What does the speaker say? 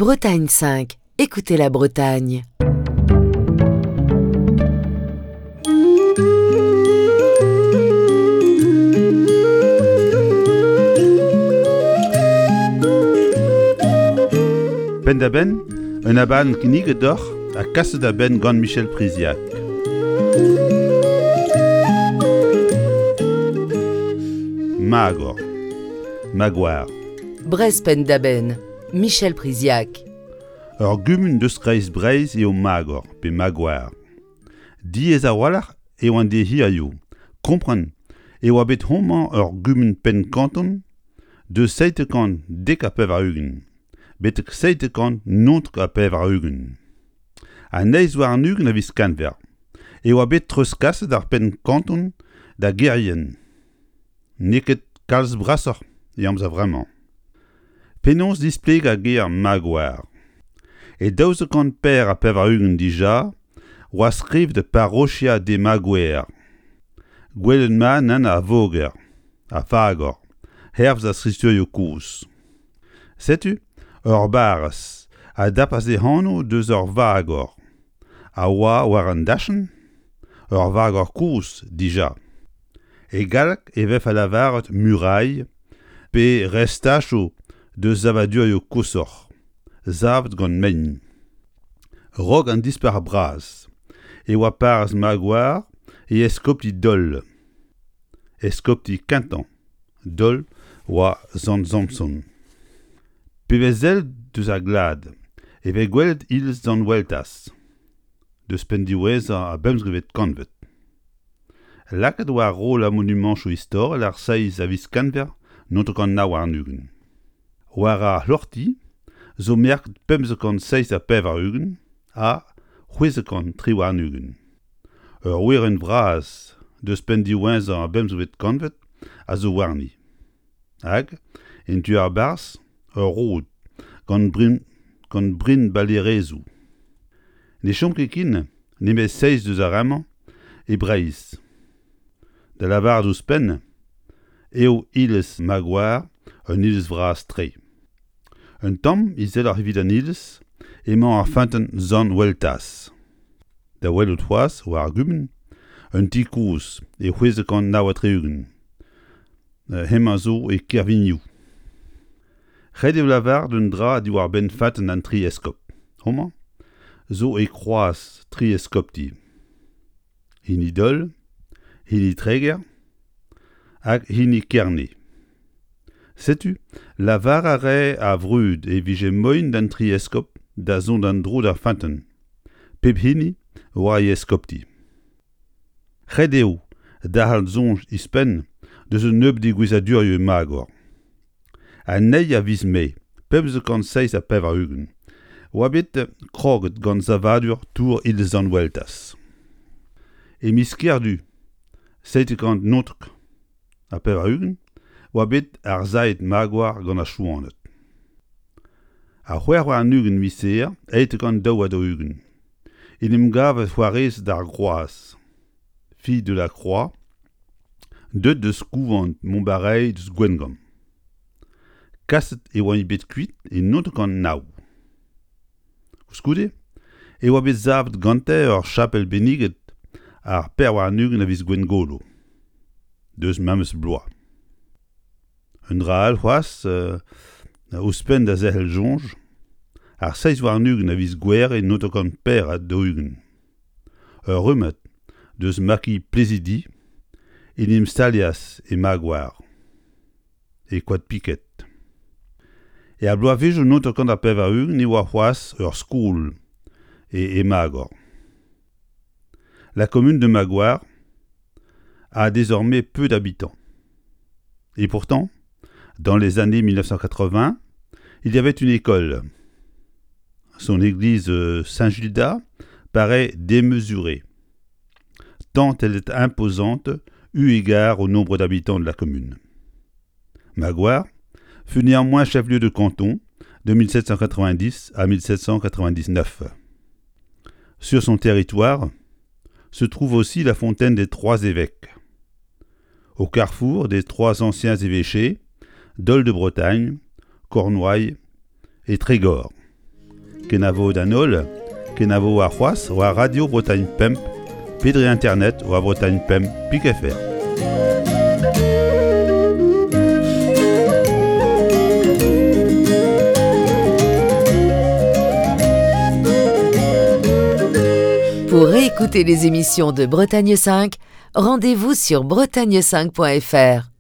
Bretagne 5, écoutez la Bretagne. Penn-da-benn, un abadenn kinniget deoc'h ha kaset da benn gant Michel Priziac. Magor. Magoar. Brest penn-da-benn, Michel Priziac. Ur gumun deus kreiz Breizh eo Magor pe Magoar. Diaes a-walc'h eo an deiz hiziv kompren e oa bet homañ ur gumun penn-kanton deus 790 betek 799. An eizh warn-ugent a viz Kenver e oa bet treuzkaset ar penn-kanton da Gerien. N'eo ket kalz brasoc'h e amzer vremañ. Penaos displegañ ger Magoar? E 1284 dija oa skrivet Parochia de Magoer. Gwelet mat nann ar voger, ar fagor, hervez ar skriturioù kozh. Setu ur barrez a dapas e anv deus ur vagor a oa war an dachenn, ur vagor kozh dija. E galleg e vefe lavaret murailh pe restachoù deus savadurioù koshoc'h, savet gant mein. Raok an Dispac'h Bras e oa parrez Magoar e eskopti Dol. Eskopti kentañ Dol oa Sant-Samson. Pe vez sellet deus ar glad e vez gwelet iliz Sant-Weltaz, deus penn diwezhañ ar bemzekvet kantved. Lakaet oa roll ar monumantoù istorel ar seizh a viz Kenver 1929. War ar c'hloc'hti zo merket 587 ha 623. Ur werenn vras deus penn diwezhañ ar bemzekvet kantved a zo warni. Hag, en tu ar barzh, ur rod gant brin gant brinbalerezoù. Ne chom ket ken nemet seizh deus ar re-mañ e Breizh. Da lavaret ouzhpenn eo iliz Magoar un iliz vras-tre. Un tamm izeloc'h evit an iliz emañ ar feunteun Sant-Weltaz. Da welout c'hoazh war ar gumun, un ti kozh e 669. Hemañ zo e Kervignoù. Ret eo lavaret un dra diwar-benn feunteun an tri eskob. Homañ zo e kroaz tri eskopti. Hini Dol, hini Treger hag hini Kerne. Setu, lavar a rae ar vrud e vije moaien d'an tri eskob da zont en-dro d'ar feunteun, pep hini war e eskopti. Ret eo derc'hel soñj ouzhpenn deus un nebeud degouezhadurioù e Magor. An eil a viz Mae 1587 oa bet kroget gant savadur tour iliz Sant-Weltaz. E miz Kerdu 799 oa bet arsailhet Magoar gant ar Chouaned. Ar 26 miz Here 842 en em gave c'hoarezed ar Groaz, Filles de la Croix, deuet deus kouvant Montbarey deus Gwengamp. Kaset e oa bet kuit e 909. Koulskoude e oa bet savet gante ur chapel benniget ar 24 a viz Gwengolo, deus memes bloaz. Un dra all c'hoazh, ouzhpenn da zerc'hel soñj, ar 27 a viz Gouhere 944. Ur rummad deus makiñ Plezidi en em stalias e Magoar, e Koad Piked. Er bloavezhioù 1980 e oa c'hoazh ur skol e e Magor. La commune de Magoar a désormais peu d'habitants. Et pourtant, dans les années 1980, il y avait une école. Son église euh, Saint-Gildas paraît démesurée, tant elle est imposante eu égard au nombre d'habitants de la commune. Magoar fut néanmoins chef-lieu de canton de 1790 à 1799. Sur son territoire se trouve aussi la fontaine des Trois Évêques. Au carrefour des trois anciens évêchés, Dol de Bretagne, Cornouailles et Trégor. Kenavo d'an holl, kenavo warc'hoazh war Radio Bretagne Pemp pe dre internet war Bretagne Pemp pik fr. Pour réécouter les émissions de Bretagne 5, rendez-vous sur bretagne5.fr.